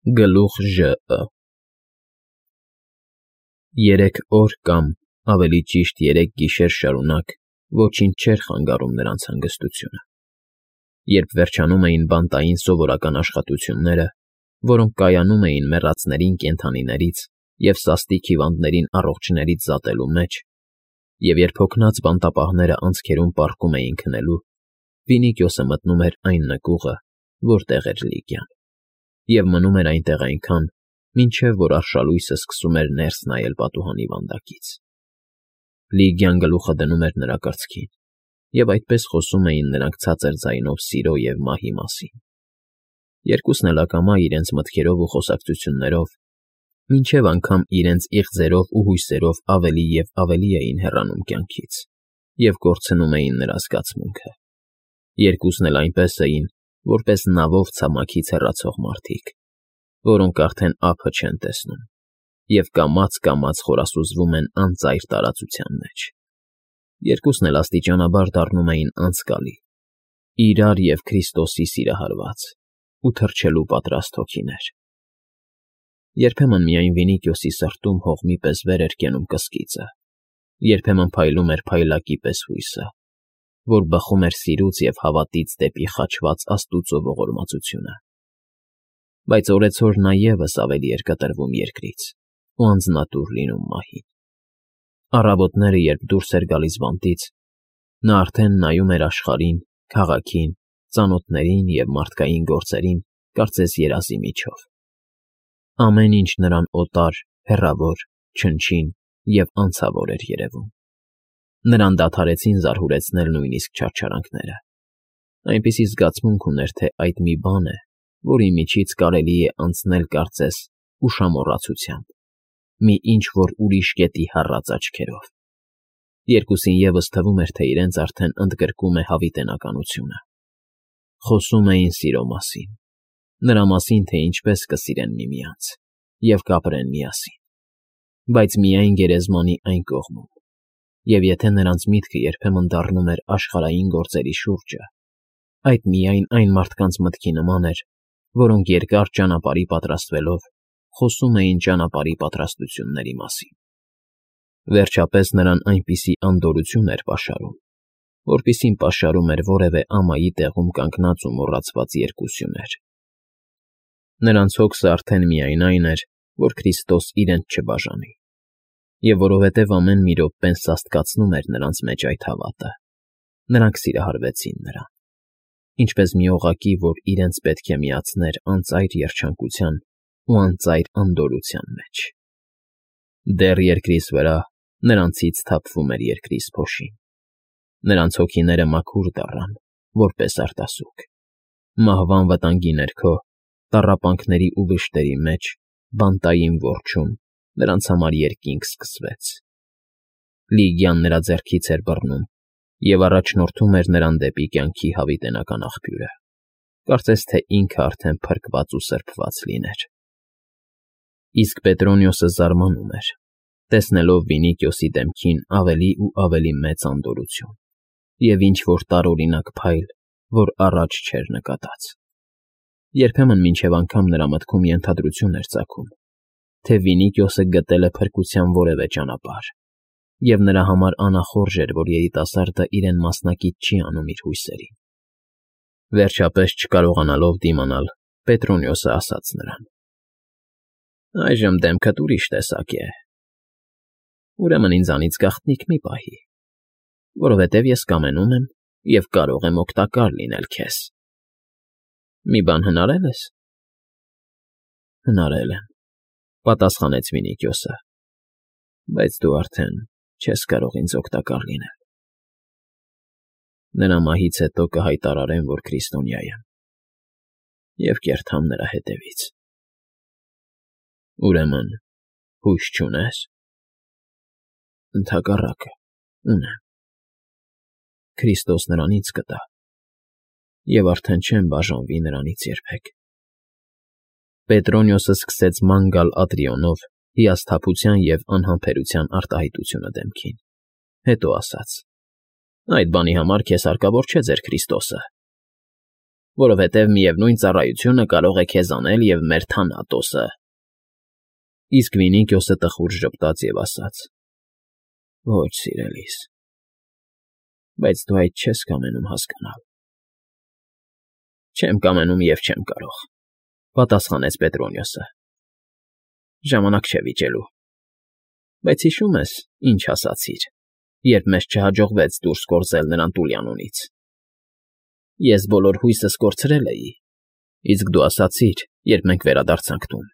Գլուխ ԺԸ 3 օր կամ, ավելի ճիշտ 3 գիշեր շարունակ ոչինչ չէր խանգարում նրանց հանգստությունը, երբ վերջանում էին բանտային սովորական աշխատությունները, որոնք կայանում էին մեռածներին կենդանիներից և սաստիկ հիվանդներին առողջներից զատելու մեջ, և երբ հոգնած բանտապահները անցքերում պառկում էին քնելու, Վինիքիոսը մտնում էր այն նկուղը, որտեղ էր Լիգիան, և մնում էր այնտեղ այնքան, մինչև որ արշալույսը սկսում էր ներս նայել պատուհանի վանդակից։ Լիգիան գլուխը դնում էր նրա կրծքին, և այդպես խոսում էին նրանք ցածր ձայնով սիրո և մահի մասին։ Երկուսն էլ ակամա իրենց մտքերով ու խոսակցություններով, մինչև անգամ իրենց իղձերով ու հույսերով ավելի և ավելի էին հեռանում կյանքից և կորցնում էին նրա զգացմունքը։ Երկուսն էլ այնպես էին, որպես նավով ցամաքից հեռացող մարդիկ, որոնք արդեն ափը չեն տեսնում և կամաց֊կամաց խորասուզվում են անծայր տարածության մեջ։ Երկուսն էլ աստիճանաբար դառնում էին անցկալի, իրար և Քրիստոսի սիրահարված ու թրջելու պատրաստ հոգիներ։ Երբեմն միայն Վինիքիոսի սրտում հողմի պես վեր էր կենում կսկիծը, երբեմն փայլում էր փայլակի պես հույսը, որ բխում էր սիրուց և հավատից դեպի խաչված Աստուծո ողորմածությունը։ Բայց օրեցօր նա ևս ավելի էր կտրվում երկրից ու անձնատուր լինում մահին։ Առավոտները, երբ դուրս էր գալիս բանտից, նա արդեն նայում էր աշխարհին, քաղաքին, ծանոթներին և մարդկային գործերին կարծես երազի միջով։ Ամեն ինչ նրան օտար, հեռավոր, չնչին և անցավոր էր երևում։ Նրան դադարեցին զարհուրեցնել նույնիսկ չարչարանքները։ Այնպիսի զգացմունք ուներ, թե այդ մի բան է, որի միջից կարելի է անցնել կարծես ուշամոռացությամբ, մի ինչ֊որ ուրիշ կետի հառած աչքերով։ Երկուսին ևս թվում էր, թե իրենց արդեն ընդգրկում է հավիտենականությունը։ Խոսում էին սիրո մասին, նրա մասին, թե ինչպես կսիրեն միմյանց և կապրեն միասին, բայց միայն գերեզմանի այն կողմում, և եթե նրանց միտքը երբեմն դառնում էր աշխարհային գործերի շուրջը, այդ միայն այն մարդկանց մտքի նման էր, որոնք երկար ճանապարհի պատրաստվելով խոսում էին ճանապարհի պատրաստությունների մասին։ Վերջապես նրան այնպիսի անդորրություն էր պաշարում, որպիսին պաշարում էր որևէ ամայի տեղում կանգնած ու մոռացված երկուսյուներ։ Նրանց հոգսը արդեն միայն այն էր, որ Քրիստոս իրենց չբաժանի, և որովհետև ամեն մի րոպեն սաստկացնում էր նրանց մեջ այդ հավատը, նրանք սիրահարվեցին նրան, ինչպես մի օղակի, որ իրենց պետք է միացներ անծայր երջանկության ու անծայր անդորրության մեջ։ Դեռ երկրիս վրա նրանցից թափվում էր երկրից փոշին։ Նրանց հոգիները մաքուր դառան, որպես արտասուք։ Մահվան վտանգի ներքո, տառապանքների ու վշտերի մեջ, բանտային որջում նրանց համար երկինք սկսվեց։ Լիգիան նրա ձեռքից էր բռնում և առաջնորդում էր նրան դեպի կյանքի հավիտենական աղբյուրը, կարծես թե ինքը արդեն փրկված ու սրբված լիներ։ Իսկ Պետրոնիոսը զարմանում էր, տեսնելով Վինիքիոսի դեմքին ավելի ու ավելի մեծ անդորրություն և ինչ֊որ տարօրինակ փայլ, որ առաջ չէր նկատած։ Երբեմն մինչև անգամ նրա մտքում ենթադրություն էր ծագում, թե Վինիքիոսը գտել է փրկության որևէ ճանապարհ, և նրա համար անախորժ էր, որ երիտասարդը իրեն մասնակից չի անում իր հույսերին։ Վերջապես, չկարողանալով դիմանալ, Պետրոնիոսը ասաց նրան. «Այժմ դեմքդ ուրիշ տեսակ է։ Ուրեմն ինձանից գաղտնիք մի պահի, որովհետև ես կամենում եմ և կարող եմ օգտակար լինել քեզ։ Մի բան հնարել ես»։ «Հնարել եմ,֊ պատասխանեց Վինիքիոսը,֊ բայց դու արդեն չես կարող ինձ օգտակար լինել։ Նրա մահից հետո կհայտարարեմ, որ քրիստոնյա եմ, և կերթամ նրա հետևից»։ «Ուրեմն հույս չունե՞ս»։ «Ընդհակառակը, ունեմ. Քրիստոս նրան ինձ կտա, և արդեն չեմ բաժանվի նրանից երբեք»։ Պետրոնիոսը սկսեց ման գալ Ատրիոնով հիասթափության և անհամբերության արտահայտությունը դեմքին, հետո ասաց. «Այդ բանի համար քեզ հարկավոր չէ ձեր Քրիստոսը»։ որովհետև միևնույն ծառայությունը կարող է քեզ անել և մեր Թանատոսը։ Իսկ Վինիքիոսը տխուր ժպտաց և ասաց. Ոչ, սիրելիս, բայց դու այդ չես կամենում հասկանալ։ Չեմ կամենում և չեմ կարող, պատասխանեց Պետրոնիոսը։ Ժամանակ չէ վիճելու։ Բայց հիշո՞ւմ ես, ինչ ասացիր, երբ մեզ չհաջողվեց դուրս գործել նրան Տուլիանոնից։ Ես բոլոր հույսս կորցրել էի, իսկ դու ասացիր, երբ մենք վերադարձանք տուն.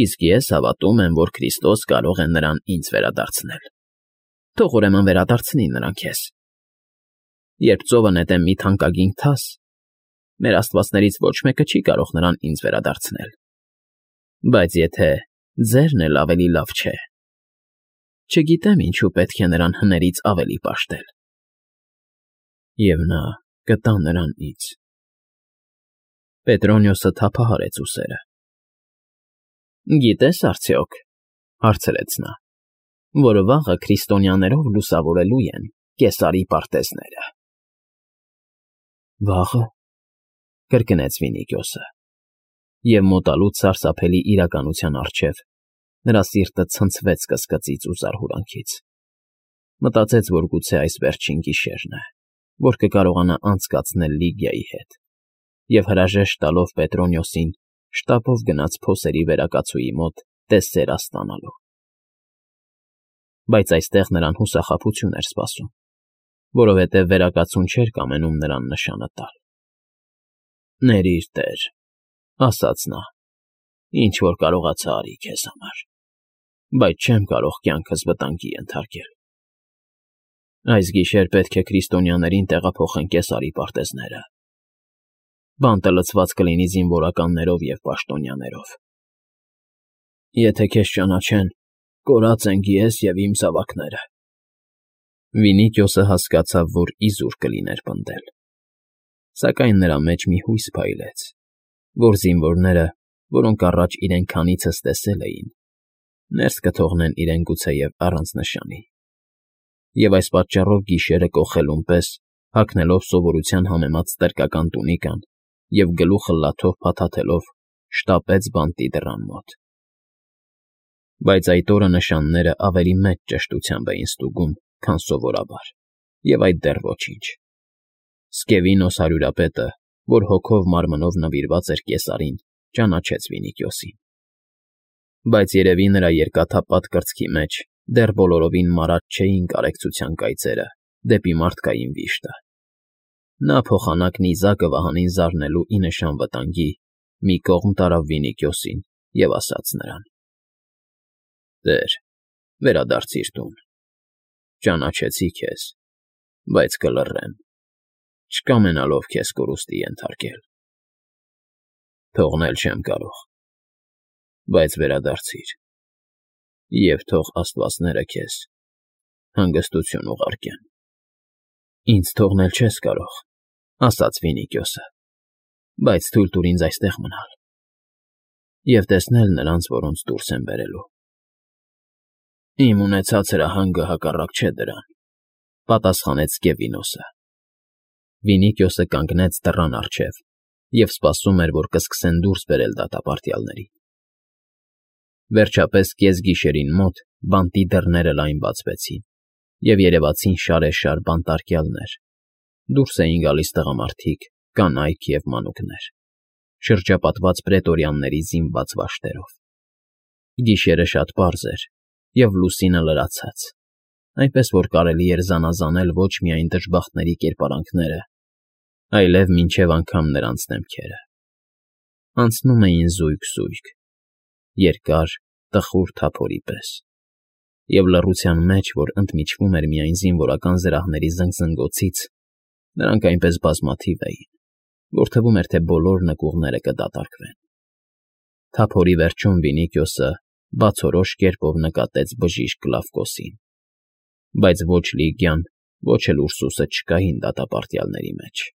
իսկ ես հավատում եմ, որ Քրիստոս կարող է նրան ինձ վերադարձնել։ Թող ուրեմն վերադարձնի նրան քեզ։ Երբ ծովը նետեմ մի թանկագին թաս, մեր աստվածներից ոչ մեկը չի կարող նրան ինձ վերադարձնել։ Բայց եթե ձերն էլ ավելի լավ չէ, չգիտեմ ինչու պետք է նրան հներից ավելի պաշտել։ Եվ նա կտա նրան ինձ։ Պետրոնիոսը թափահարեց ուսերը։ Գիտես արդյոք, հարցրեց նա, որ վաղը քրիստոնյաներով լուսավորելու են Կեսարի պարտեզները։ Վաղը, կրկնեց Վինիքիոսը, և մոտալուց սարսափելի իրականության առջև նրա սիրտը ցնցվեց կսկծից ու զարհուրանքից։ Մտածեց, որ գուցե այս վերջին գիշերն է, որ կկարողանա անցկացնել Լիգիայի հետ, և հրաժեշտ տալով Պետրոնիոսին շտապով գնաց փոսերի վերակացուի մոտ տեսսեր ստանալու։ Բայց այստեղ նրան հուսախաբություն էր սպասում, որովհետև վերակացուն չէր կամենում նրան նշանը տալ։ Ներիր, Տեր, ասաց նա, ինչ որ կարողացա արի քեզ համար, բայց չեմ կարող կյանքս վտանգի ենթարկել։ Այս գիշեր պետք է քրիստոնյաներին տեղափոխեն Կեսարի պարտեզները։ Բանտը լցված կլինի զինվորականներով և պաշտոնյաներով։ Եթե քեզ ճանաչեն, կորած ենք ես և իմ զավակները։ Վինիքիոսը հասկացավ, որ իզուր կլիներ պնդել։ Սակայն նրա մեջ մի հույս փայլեց, որ զինվորները, որոնք առաջ իրեն քանիցս տեսել էին, ներս կթողնեն իրեն գուցեև առանց նշանի։ Եվ այս պատճառով գիշերը կոխելուն պես, հագնելով սովորության համեմատ ստրկական տունիկան և գլուխը լաթով փաթաթելով, շտապեց բանտի դռան մոտ։ Բայց այդ օրը նշանները ավելի մեծ ճշտությամբ էին ստուգում, քան սովորաբար, և այդ դեռ ոչինչ։ Սկևինոս հարյուրապետը, որ հոգով մարմնով նվիրված էր Կեսարին, ճանաչեց Վինիքիոսին։ Բայց երևի նրա երկաթապատ կրծքի մեջ դեռ բոլորովին մարած չէին կարեկցության կայծերը դեպի մարդկային վիշտը։ Նա փոխանակ նիզակը վահանին զարնելու ի նշան վտանգի մի կողմ տարավ Վինիքիոսին և ասաց նրան. Տեր, վերադարձիր տուն։ Ճանաչեցի քեզ, բայց կլռեմ, չկամենալով քեզ կորուստի ենթարկել։ Թողնել չեմ կարող, բայց վերադարձիր, և թող աստվածները քեզ հանգստություն ուղարկեն։ Ինձ թողնել չես կարող, ասաց Վինիքիոսը, բայց թույլ տուր ինձ այստեղ մնալ և տեսնել նրանց, որոնց դուրս եմ բերելու։ Իմ ունեցած հրահանգը հակառակ չէ դրան, պատասխանեց Սկևինոսը։ Վինիքիոսը կանգնեց դռան առջև և սպասում էր, որ կսկսեն դուրս բերել դատապարտյալներին։ Վերջապես կեսգիշերին մոտ բանտի դռները լայն բացվեցին, և երևացին շարեշար բանտարկյալներ։ Դուրս էին գալիս տղամարդիկ, կանայք և մանուկներ, շրջապատված պրետորյանների զինված վաշտերով։ Գիշերը շատ պարզ էր, և լուսինը լրացած, այնպես որ կարելի էր զանազանել ոչ միայն դժբախտների կերպարանքները, այլև մինչև անգամ նրանց դեմքերը։ Անցնում էին զույգ, երկար, տխուր թափորի պես, և լռության մեջ, որ ընդմիջվում էր միայն զինվորական զրահների զնգզնգոցից, նրանք այնպես բազմաթիվ էին, որ թվում էր, թե բոլոր նկուղները կդատարկվեն։ Թափորի վերջում Վինիքիոսը բացորոշ կերպով նկատեց բժիշկ Կլավկոսին, բայց ոչ Լիգիան, ոչ էլ Ուրսուսը չկային դատապարտյալների մեջ։